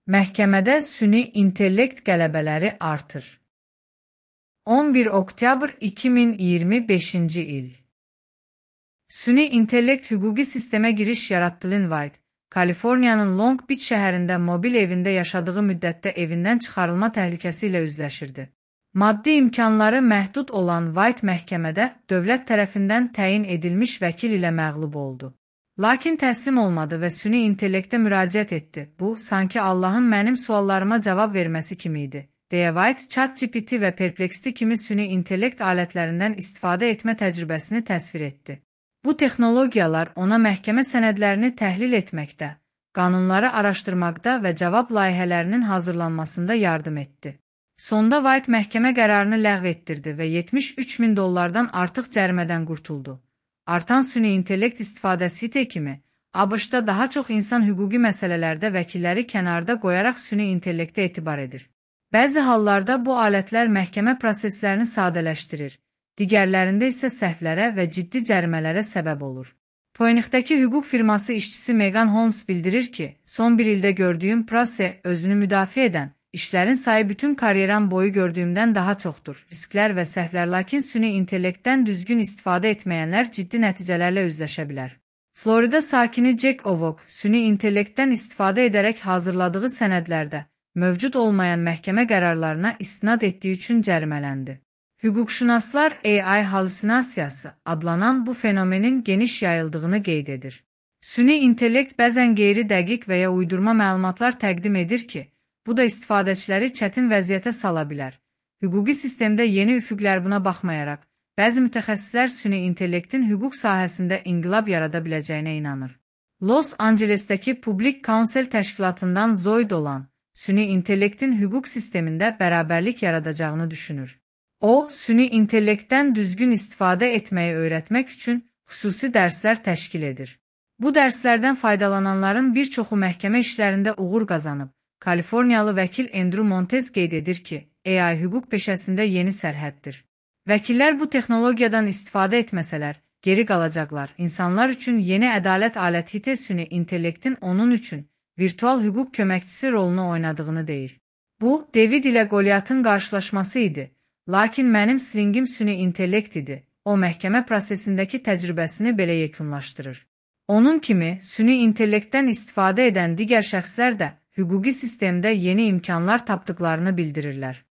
Məhkəmədə süni intellekt qələbələri artır. 11 oktyabr 2025-ci il. Süni intellekt hüquqi sistemə giriş yaratdı. Lynn White, Kaliforniyanın Long Beach şəhərində mobil evində yaşadığı müddətdə evindən çıxarılma təhlükəsi ilə üzləşirdi. Maddi imkanları məhdud olan White məhkəmədə dövlət tərəfindən təyin edilmiş vəkil ilə məğlub oldu. Lakin təslim olmadı və süni intellektə müraciət etdi. Bu, sanki Allahın mənim suallarıma cavab verməsi kimi idi, deyə White, ChatGPT və Perplexity kimi süni intellekt alətlərindən istifadə etmə təcrübəsini təsvir etdi. Bu texnologiyalar ona məhkəmə sənədlərini təhlil etməkdə, qanunları araşdırmaqda və cavab layihələrinin hazırlanmasında yardım etdi. Sonda White məhkəmə qərarını ləğv etdirdi və $73.000 artıq cərimədən qurtuldu. Artan süni intellekt istifadəsi kimi, ABŞ-da daha çox insan hüquqi məsələlərdə vəkilləri kənarda qoyaraq süni intellektə etibar edir. Bəzi hallarda bu alətlər məhkəmə proseslərini sadələşdirir, digərlərində isə səhvlərə və ciddi cərimələrə səbəb olur. Phoenixdəki hüquq firması işçisi Megan Holmes bildirir ki, son bir ildə gördüyüm proses özünü müdafiə edən, İşlərin sayı bütün karyeram boyu gördüyümdən daha çoxdur. Risklər və səhvlər, lakin süni intellektdən düzgün istifadə etməyənlər ciddi nəticələrlə üzləşə bilər. Florida sakini Jack Ovok, süni intellektdən istifadə edərək hazırladığı sənədlərdə mövcud olmayan məhkəmə qərarlarına istinad etdiyi üçün cərimələndi. Hüquqşünaslar AI halüsinasiyası adlanan bu fenomenin geniş yayıldığını qeyd edir. Süni intellekt bəzən qeyri-dəqiq və ya uydurma məlumatlar təqdim edir ki, bu da istifadəçiləri çətin vəziyyətə sala bilər. Hüquqi sistemdə yeni üfüqlər buna baxmayaraq, bəzi mütəxəssislər süni intellektin hüquq sahəsində inqilab yarada biləcəyinə inanır. Los Angelesdəki Public Counsel təşkilatından Zoe Dolan, süni intellektin hüquq sistemində bərabərlik yaradacağını düşünür. O, süni intellektdən düzgün istifadə etməyi öyrətmək üçün xüsusi dərslər təşkil edir. Bu dərslərdən faydalananların bir çoxu məhkəmə işlərində uğur qazanıb. Kaliforniyalı vəkil Andrew Montez qeyd edir ki, AI hüquq peşəsində yeni sərhəddir. Vəkillər bu texnologiyadan istifadə etməsələr, geri qalacaqlar. İnsanlar üçün yeni ədalət aləti süni intellektin onun üçün virtual hüquq köməkçisi rolunu oynadığını deyir. Bu, David ilə Goliatın qarşılaşması idi, lakin mənim slingim süni intellekt idi. O, məhkəmə prosesindəki təcrübəsini belə yekunlaşdırır. Onun kimi, süni intellektdən istifadə edən digər şəxslər də hüquqi sistemdə yeni imkanlar tapdıqlarını bildirirlər.